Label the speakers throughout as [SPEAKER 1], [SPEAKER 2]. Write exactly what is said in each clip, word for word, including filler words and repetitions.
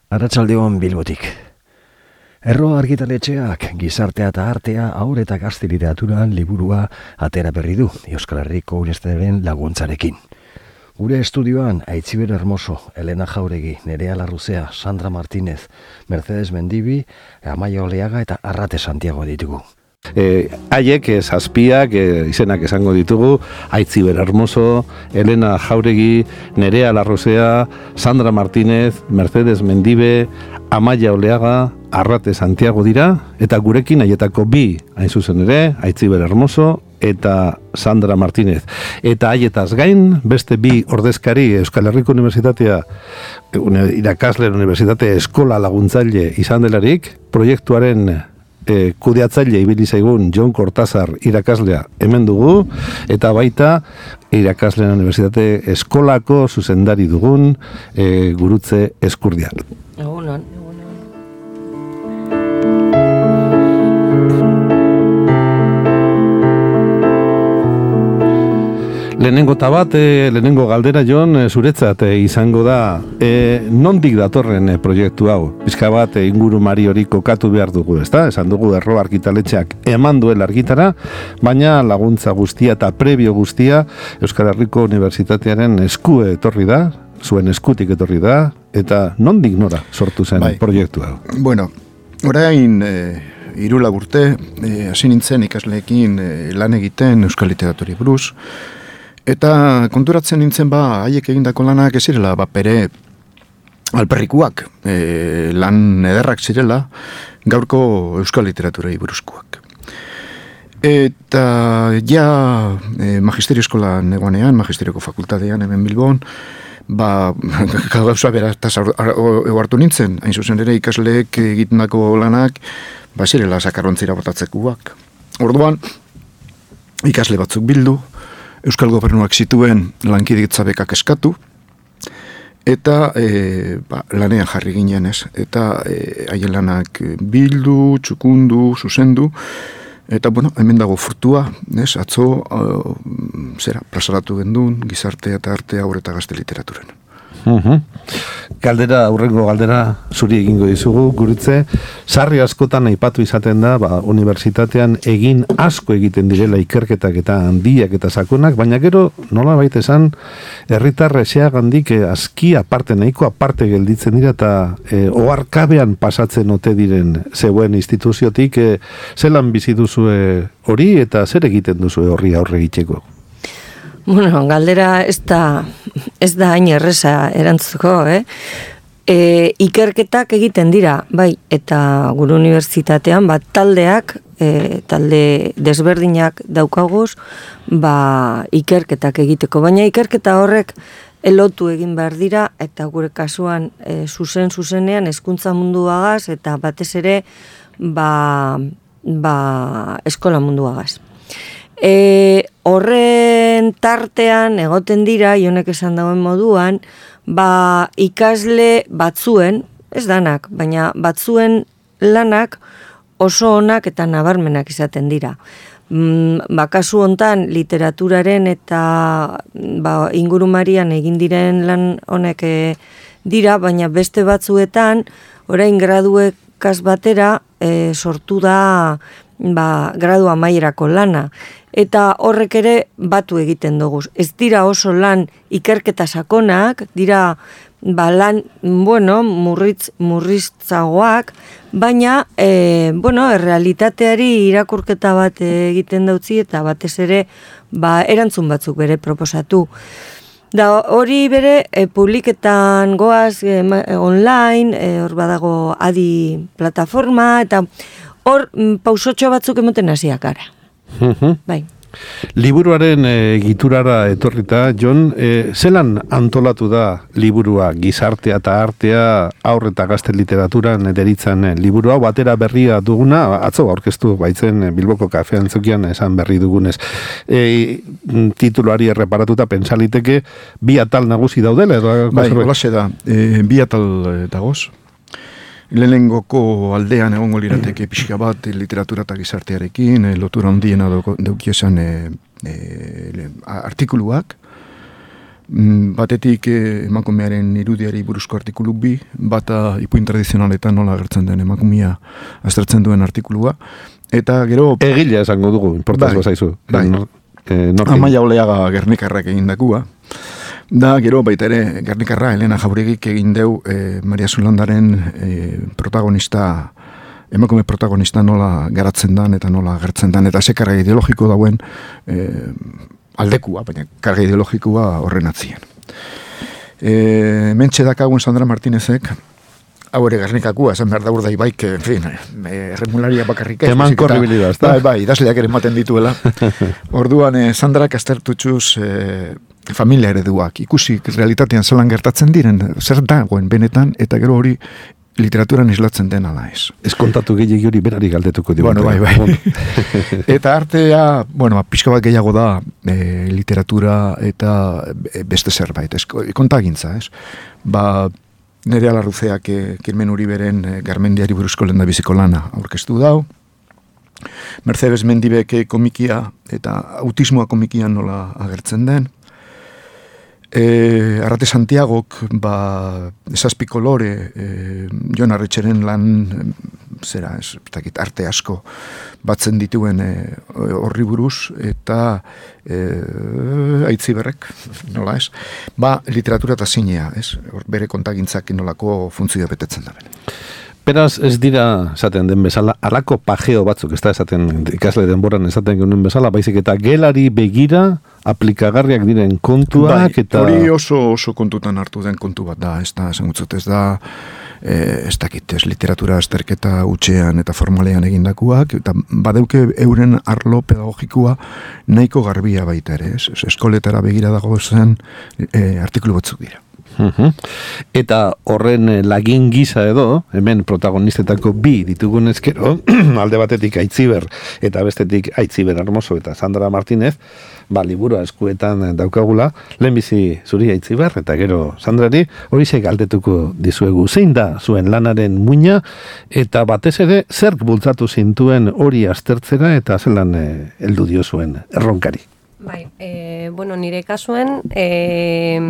[SPEAKER 1] Arratsaldeon Bilbotik. Erro argitaletxeak gizartea eta artea haur eta gazte literaturan liburua atera berri du Euskal Herriko Unibertsitatearen laguntzarekin. Gure estudioan Aitziber Hermoso, Elena Jauregi, Nerea Larruzea, Sandra Martínez, Mercedes Mendibi, Amaia Oleaga eta Arrate Santiago ditugu.
[SPEAKER 2] E, haiek, e, zazpiak, e, izenak esango ditugu, Aitziber Hermoso, Elena Jauregi, Nerea Larruzea, Sandra Martínez, Mercedes Mendibe, Amaia Oleaga, Arrate Santiago dira, eta gurekin haietako bi, hain zuzen ere, Aitziber Hermoso eta Sandra Martínez. Eta haietaz gain, beste bi ordezkari Euskal Herriko Unibertsitatea, irakasle Unibertsitate Eskola Laguntzaile izan delarik, proiektuaren E, kudeatzaile ibili zaigun Jon Kortazar irakaslea hemen dugu, eta baita irakasleen Unibertsitate Eskolako zuzendari dugun e, Gurutze Eskurdia.
[SPEAKER 3] Egunon.
[SPEAKER 2] Lehenengo tabat, e, lehenengo galdera, Jon, e, zuretzat e, izango da, e, nondik datorren e, proiektu hau? Pizka bat e, ingurumari hori kokatu behar dugu, ezta? Esan dugu Erro argitaletxeak eman duela argitara, baina laguntza guztia eta prebio guztia Euskal Herriko Unibertsitatearen esku etorri da, zuen eskutik etorri da, eta nondik nora sortu zen bai. Proiektu hau?
[SPEAKER 4] Bueno, orain e, hiru urte, e, hasi nintzen ikasleekin e, lan egiten Euskal Literaturari buruz. Eta konturatzen nintzen ba, haiek egindako lanak ez zirela, ba, pere alperrikuak, e, lan ederrak zirela, gaurko euskal literaturei buruzkoak. Eta ja e, magisterio eskolan egonean, magisterioko fakultatean hemen Bilbon, ba, gauza berataz hartu nintzen, hain zuzen ere ikasleek egitendako lanak, ba, zirela sakarrontzira botatzekuak. Orduan, ikasle batzuk bildu, Euskal Gobernuak zituen lankidetza bekak eskatu, eta e, ba, lanean jarri ginen ez, eta e, haien lanak bildu, txukundu, zuzendu, eta bueno, hemen dago frutua, ez, atzo, uh, zera, plazaratu gendun, gizartea eta artea haur eta gazte literaturan.
[SPEAKER 2] Uhum. Galdera, aurrengo galdera zuri egingo dizugu, Gurutze. Sarri askotan aipatu izaten da, ba, unibertsitatean egin asko egiten direla ikerketak eta handiak eta sakonak, baina gero, nola baita esan, herritarra eseagandik eh, aski aparte, nahiko aparte gelditzen dira, eta eh, oharkabean pasatzen ote diren zeuen instituziotik, eh, zelan bizi duzue hori, eta zer egiten duzue horri aurre egiteko?
[SPEAKER 3] Bueno, galdera ez da, ez da hain erreza erantzuko, eh? E, ikerketak egiten dira, bai, eta gure unibertsitatean, bat taldeak, e, talde desberdinak daukaguz, ba, ikerketak egiteko. Baina ikerketa horrek elotu egin behar dira, eta gure kasuan e, zuzen zuzenean hezkuntza munduagaz, eta batez ere, ba, ba, eskola munduagaz. E, horren tartean egoten dira, Jonek esan dauen moduan, ba, ikasle batzuen, ez danak, baina batzuen lanak oso onak eta nabarmenak izaten dira. Mm, ba, kasu hontan literaturaren eta ba, ingurumarian egin diren lan honek e, dira, baina beste batzuetan, orain graduekaz batera e, sortu da ba, gradu amaierako lana. Eta horrek ere batu egiten dugu. Ez dira oso lan ikerketa sakonak, dira ba, lan, bueno, murritz, murriztzagoak, baina, e, bueno, errealitateari irakurketa bat egiten dautzi, eta batez ere, ba, erantzun batzuk bere proposatu. Da hori bere, e, publiketan goaz, e, online, e, hor badago adi plataforma, eta hor pausotxo batzuk emoten hasiak gara. Bai.
[SPEAKER 2] Liburuaren e, giturara etorrita, Jon, e, zelan antolatu da liburua, gizartea eta artea, aur eta gazte literaturan deritzan e, liburua, batera berria duguna, atzo aurkeztu baitzen Bilboko kafean zukian esan berri dugunez. E, tituluari erreparatuta pensaliteke bi atal nagusi daudela? Edo,
[SPEAKER 4] bai, holaxe da, e, bi atal dagoz. Lehenengoko aldean egongo lirateke pixka bat literatura eta gizartearekin, e, lotura handiena daukiesan e, e, artikuluak, Batetik emakumearen irudiari buruzko artikulu bi, bata ipuin tradizionaletan nola agertzen den emakumea aztertzen duen artikulua, eta gero...
[SPEAKER 2] Egila esango dugu, importaz bai, bazaizu.
[SPEAKER 4] Bai, e, Amaia Oleaga Gernikarrak egin dakua, da gero baita ere Gernikarra Elena Jauregik egin deu e, Maria Zulandaren e, protagonista, emakume protagonista nola garatzen dan eta nola agertzen dan, eta ze karga ideologiko dauen e, aldekua, baina karga ideologikoa horren atzien. E, mentxe dakagun Sandra Martinezek, hau ere Gernikakua, esan behar da urdai baik, en fin, erremularia bakarrik ez.
[SPEAKER 2] Eman korribilidad, ez da?
[SPEAKER 4] Bai, bai, idazleak ere ematen dituela. Orduan, eh, Sandrak aztertutxuz eh, familia ereduak, ikusi realitatean zelan gertatzen diren, zer dagoen benetan, eta gero hori literaturan islatzen den ala ez.
[SPEAKER 2] Ez kontatu gehiagi hori berari galdetuko dugu.
[SPEAKER 4] Bueno, bai, bai. Eta artea, bueno, pixka bat gehiago da e, literatura eta beste zerbait, ez, kontagintza, ez. Ba, Nerea Larruzeak e, Kirmen Uriberen e, Garmendiari buruzko lehendabiziko lana aurkeztu dau. Mercedes Mendibek komikia eta autismoa komikian nola agertzen den. E, Arrate Santiagok ba, esazpi kolore e, Jon Arretxeren lan zera, ez, takit, arte asko batzen dituen horri e, buruz eta e, Aitziberrek, nola ez, ba, literatura eta zinea, ez, bere kontagintzak nolako funtzioa betetzen da bene.
[SPEAKER 2] Beraz, ez dira, esaten den bezala, alako pajeo batzuk, ez da esaten ikasle denboran esaten genuen bezala, baizik eta gelari begira aplikagarriak diren kontuak,
[SPEAKER 4] bai,
[SPEAKER 2] eta...
[SPEAKER 4] Hori oso, oso kontutan hartu den kontu bat da, ez da, esan gutzut, ez da, e, ez dakit, ez literatura azterketa utxean eta formalean egindakuak, eta badeuke euren arlo pedagogikoa nahiko garbia baita ere, ez, eskoletara begira dago zen e, artikulu batzuk dira.
[SPEAKER 2] Uh-huh. Eta horren lagin gisa edo, hemen protagonistetako bi ditugun ezkero, alde batetik Aitziber eta bestetik Aitziber Hermoso eta Sandra Martinez, ba, liburua eskuetan daukagula, lehenbizi zuri Aitziber eta gero Sandrari, hori ze galdetuko dizuegu, zein da zuen lanaren muina, eta batez ere zerk bultzatu zintuen hori aztertzera eta zelan eh, heldu dio zuen erronkari.
[SPEAKER 3] Bai, e, bueno, nire kasuen e,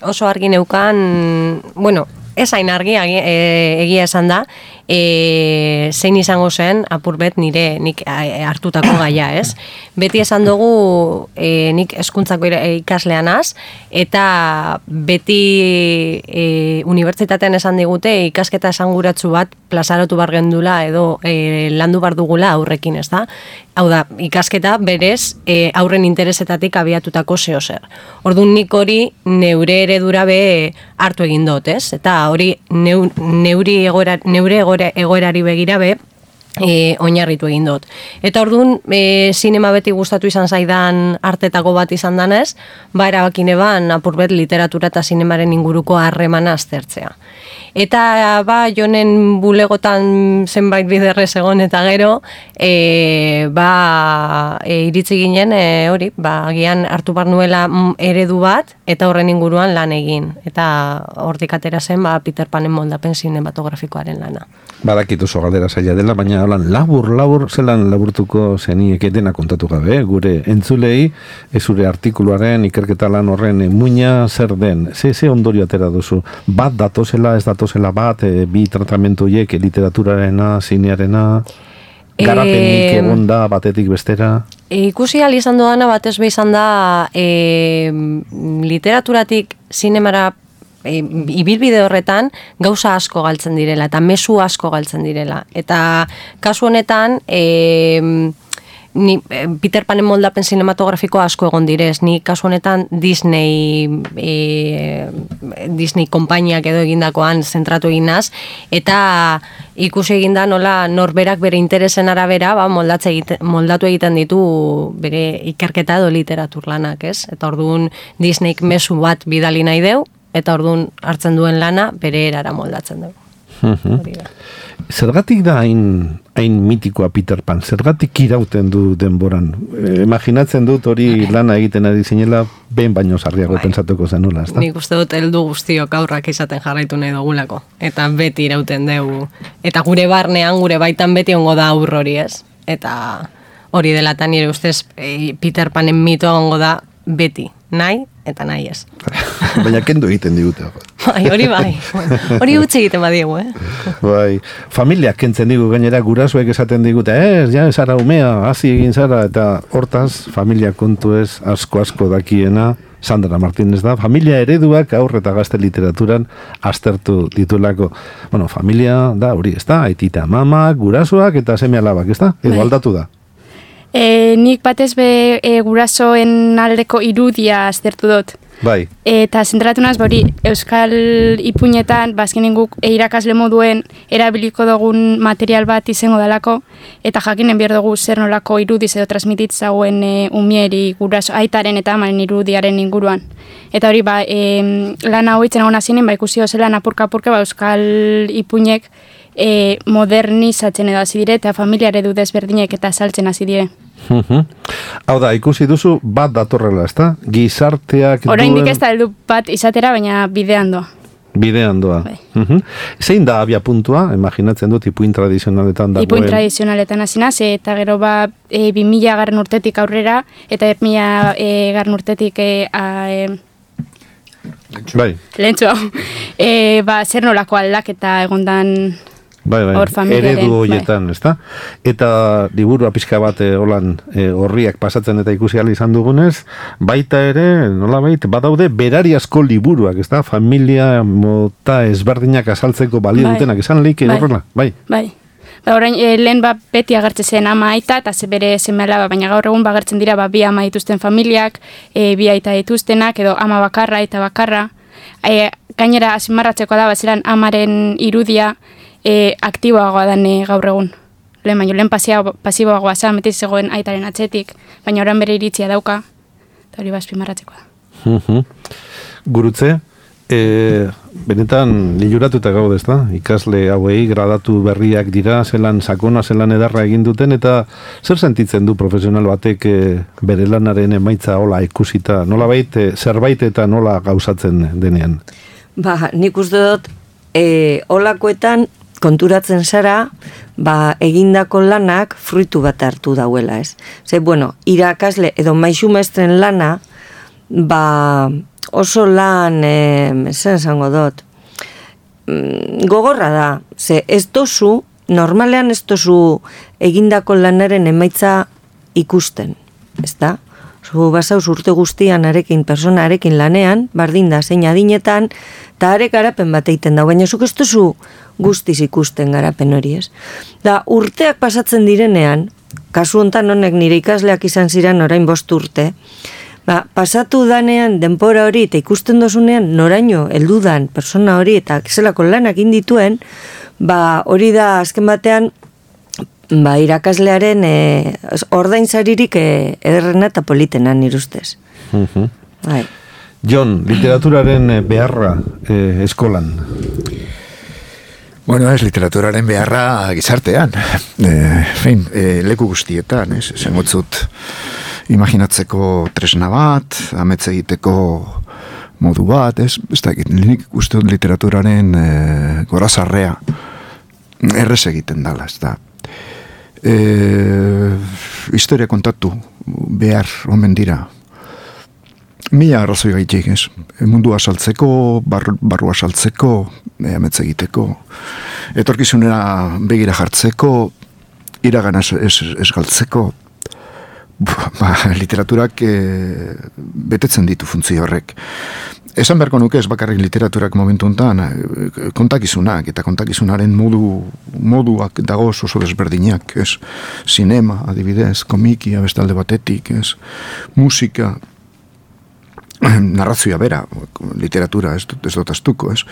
[SPEAKER 3] oso argi neukan, bueno, ez hain argi e, egia esan da, e, zein izango zen apurbet nire nik hartutako gaia, ez? Beti esan dugu e, nik hezkuntzako ikaslean az, eta beti e, unibertsitatean esan digute ikasketa esanguratsu bat plazaratu bar gendula edo e, landu bar dugula aurrekin, ez da? Hau da, ikasketa berez e, aurren interesetatik abiatutako zeo zer. Orduan nik hori neure eredura be hartu egin dut, ez? Eta hori neu, neuri egoera, neure egoera, egoerari begira be e, oinarritu egin dut. Eta orduan, e, sinema beti gustatu izan zaidan artetako bat izan danez, ba erabakine ban apurbet literatura eta sinemaren inguruko harremana aztertzea. Eta ba, jonen bulegotan zenbait biderrez egon eta gero, e, ba, e, iritzi ginen, e, hori, ba, agian hartu bar nuela eredu bat, eta horren inguruan lan egin. Eta hortik atera zen, ba, Peter Panen moldapen sinematografikoaren lana.
[SPEAKER 2] Badakit oso galdera zaila dela, baina holan labur, labur, zelan laburtuko zeniek dena kontatu gabe, gure entzulei, zure artikuluaren, ikerketa lan horren muina zer den, ze, ze ondorio atera duzu, bat datozela, ez datozela bat, e, bi tratamentu hiek, literaturarena, zinearena, garapenik e, egon da, batetik bestera?
[SPEAKER 3] E, ikusi ahal izan doana, batez be izan da, e, literaturatik zinemara E, ibilbide horretan gauza asko galtzen direla eta mezu asko galtzen direla. Eta kasu honetan e, ni, Peter Panen moldapen sinematografiko asko egon direz. Ni kasu honetan Disney e, Disney konpainiak edo egindakoan zentratu eginaz eta ikusi eginda nola norberak bere interesen arabera ba, egite, moldatu egiten ditu bere ikerketa edo literatur lanak, ez? Eta orduan Disneyk mezu bat bidali nahi deu eta orduan hartzen duen lana bere erara moldatzen dugu.
[SPEAKER 2] Uh-huh. Zergatik da hain, hain mitikoa Peter Pan? Zergatik irauten du denboran? E, imaginatzen dut hori lana egiten ari zinela behin baino sarriago bai. Pentsatuko zenula, ezta?
[SPEAKER 3] Nik uste dut heldu guztiok aurrak izaten jarraitu nahi dugulako. Eta beti irauten dugu. Eta gure barnean, gure baitan beti ongo da aurr hori, ez? Eta hori dela eta nire ustez Peter Panen mitoa ongo da beti, nahi eta nahi ez.
[SPEAKER 2] Baina kendu egiten digute.
[SPEAKER 3] Bai, hori bai. Hori utzi egiten badiegu, eh?
[SPEAKER 2] Bai, familiak kentzen digu gainera gurasoek esaten digute, ez, ja, zara umea, hazi egin zara, eta hortaz, familia kontu ez, asko-asko dakiena, Sandra Martínez da, familia ereduak aur eta gazte literaturan aztertu ditulako. Bueno, familia da, hori, ez da, aitita mamak, gurasoak eta seme alabak, ez da? Edo aldatu da?
[SPEAKER 5] E, nik batez be e, gurasoen aldeko irudia aztertu dut.
[SPEAKER 2] Bai.
[SPEAKER 5] Eta zentratu naz, bori, Euskal ipuinetan, bazkenen guk e, irakasle moduen erabiliko dugun material bat izango dalako, eta jakinen behar dugu zer nolako irudiz edo transmititzauen e, umieri guraso, aitaren eta amaren irudiaren inguruan. Eta hori, ba, e, lan hau itzen egon azinen, ba, ikusi dozela apurka-apurka, ba, Euskal ipuinek e, modernizatzen edo hasi dire, eta familia eredu desberdinek eta saltzen hasi dire.
[SPEAKER 2] Hau da, ikusi duzu bat datorrela, ez da? Gizarteak duen...
[SPEAKER 5] Oraindik ez da heldu bat izatera, baina bidean doa.
[SPEAKER 2] Bidean doa. Uh-huh. Zein da abia puntua? Imaginatzen dut, ipuin tradizionaletan dagoen.
[SPEAKER 5] Ipuin tradizionaletan hasinaz, eta gero ba, e, bi mila garren urtetik aurrera, eta bi mila e, garren urtetik... E, a, e,
[SPEAKER 2] bai.
[SPEAKER 5] Lehentxo. E, ba, zer nolako aldaketa egondan...
[SPEAKER 2] Bai, bai, eredu horietan, bai. Ezta? Eta liburua pixka bat e, holan e, horriak pasatzen eta ikusi ahal izan dugunez, baita ere, nola bait, badaude berariazko liburuak, ezta? Familia mota ezberdinak azaltzeko balio bai. Dutenak, esan lehik edo horrela, bai? Bai.
[SPEAKER 5] Ba, orain, e, lehen ba, beti agertzen zen ama aita, eta ze bere seme alaba, baina gaur egun bagertzen dira ba, bi ama dituzten familiak, e, bi aita dituztenak, edo ama bakarra eta bakarra. E, gainera, asimarratzeko da, bazeran amaren irudia, E, aktiboagoa dan e, gaur egun. Lehen baino, lehen pasiboagoa zan, metiz zegoen aitaren atzetik, baina orain bere iritzia dauka, eta hori bazpimarratzeko da.
[SPEAKER 2] Uh-huh. Gurutze, e, benetan liluratuta gaude, ez da? Ikasle hauei gradatu berriak dira, zelan sakona, zelan edarra egin duten, eta zer sentitzen du profesional batek e, bere lanaren emaitza hola ikusita, nola bait, e, zerbait eta nola gauzatzen denean?
[SPEAKER 3] Ba, nik uste dut, e, holakoetan, konturatzen zara, ba, egindako lanak fruitu bat hartu dauela, ez? Ze, bueno, irakasle edo maixu maestren lana, ba, oso lan, e, zen zango dut, gogorra da, ze, ez dozu, normalean ez dozu egindako lanaren emaitza ikusten, ez da? Zu basauz urte guztian arekin, persona arekin lanean, bardin da, zein adinetan, eta arek garapen bat egiten da, baina zuk ez duzu guztiz ikusten garapen hori, ez? Da, urteak pasatzen direnean, kasu hontan honek nire ikasleak izan ziren orain bost urte, ba, pasatu danean denpora hori eta ikusten dozunean noraino heldudan persona hori eta zelako lanak indituen, ba, hori da azken batean, ba, irakaslearen e, ordainsaririk e, ederrena eta politena nire ustez.
[SPEAKER 2] Uh-huh.
[SPEAKER 3] Bai.
[SPEAKER 2] Jon, literaturaren beharra e, eskolan?
[SPEAKER 4] Bueno, ez literaturaren beharra gizartean. E, fein, e, leku guztietan, ez? Zengotzut imaginatzeko tresna bat, ametze egiteko modu bat, ez? Ez da, nik uste dut literaturaren e, gorazarrea errez egiten dala, ez da. E, historia kontatu behar omen dira mila arrazoi gaitik, ez? Mundua saltzeko, bar, barrua saltzeko, e, ametze egiteko, etorkizunera begira jartzeko, iragana ez, ez, ez galtzeko. Ba, literaturak e, betetzen ditu funtzio horrek. Esan beharko nuke ez bakarrik literaturak momentu honetan, kontakizunak, eta kontakizunaren modu, moduak dago oso desberdinak, ez? Sinema, adibidez, komikia, bestalde batetik, ez? Musika, narrazioa bera, literatura, ez, ez dut astuko, ez?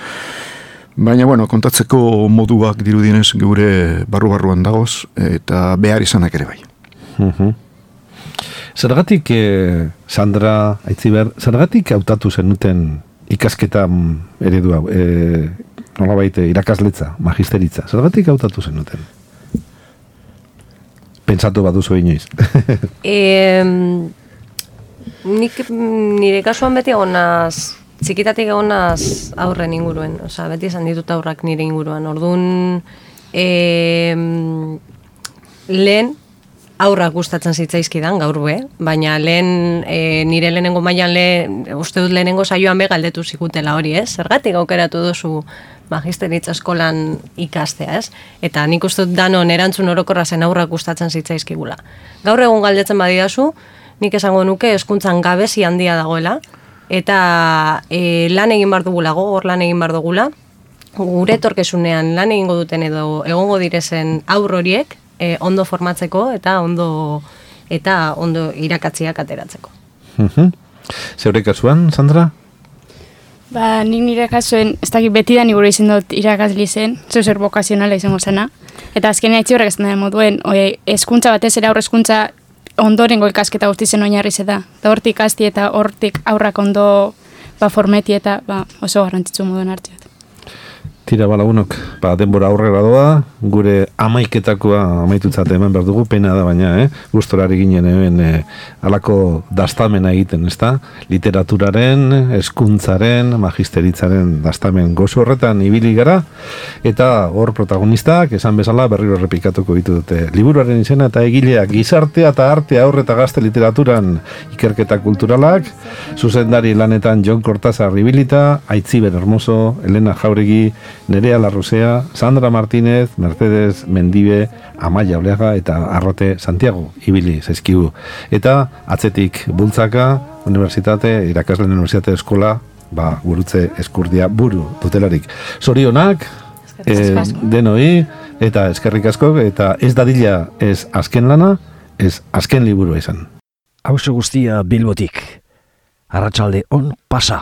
[SPEAKER 4] Baina, bueno, kontatzeko moduak dirudienez geure barru-barruan dagoz, eta behar izanak ere bai.
[SPEAKER 2] Uh-huh. Zergatik, eh, Sandra Aitziber, zergatik hautatu zenuten ikasketa eredua, eh, nolabait irakasletza, magisteritza, zergatik hautatu zenuten? Pentsatu baduzu inoiz.
[SPEAKER 3] e, nik nire kasuan beti egonaz, txikitatik egonaz aurren inguruen, osea, beti esan ditut aurrak nire inguruan, orduan e, lehen, aurrak gustatzen zitzaizkidan gaur be, baina lehen, e, nire lehenengo mailan lehen, uste dut lehenengo saioan be galdetu zigutela hori, ez? Zergatik aukeratu duzu magisteritza eskolan ikastea, ez? Eta nik uste dut danon erantzun orokorra zen aurrak gustatzen zitzaizkigula. Gaur egun galdetzen badidazu, nik esango nuke hezkuntzan gabezi handia dagoela, eta e, lan egin bar dugula, gogor lan egin bar dugula, gure etorkizunean lan egingo duten edo egongo direzen aur horiek e, ondo formatzeko eta ondo eta ondo irakatziak ateratzeko.
[SPEAKER 2] Mhm. Zeure kasuan, Sandra?
[SPEAKER 5] Ba, nik nire kasuen, ez dakit beti da nigure izan dut irakasli zen, zeu zer bokazionala izango zena. Eta azkenean itzi horrek esan da moduen, hezkuntza batez ere aurre hezkuntza ondorengo ikasketa guzti zen oinarri da. Eta hortik asti eta hortik aurrak ondo ba, formeti eta ba, oso garrantzitsu moduen hartziot.
[SPEAKER 2] Tira balagunok, ba, denbora aurrera doa, gure amaiketakoa amaitutzat hemen behar dugu, pena da baina, eh? Gustorari ginen hemen eh, alako dastamena egiten, ezta? Literaturaren, hezkuntzaren, magisteritzaren dastamen gozo horretan ibili gara, eta hor protagonistak, esan bezala, berriro errepikatuko ditu dute. Liburuaren izena eta egileak, gizartea eta artea aurre eta gazte literaturan ikerketa kulturalak, zuzendari lanetan Jon Kortazar ibilita, Aitziber Hermoso, Elena Jauregi, Nerea Larrosea, Sandra Martínez, Mercedes Mendibe, Amaia Oleaga eta Arrote Santiago ibili zaizkigu. Eta atzetik bultzaka, unibertsitate, irakasleen unibertsitate eskola, ba, gurutze eskurdia buru dutelarik. Zorionak, eh, denoi, eta eskerrik asko, eta ez dadila ez azken lana, ez azken liburua izan.
[SPEAKER 1] Hauzo guztia Bilbotik. Arratsalde on pasa.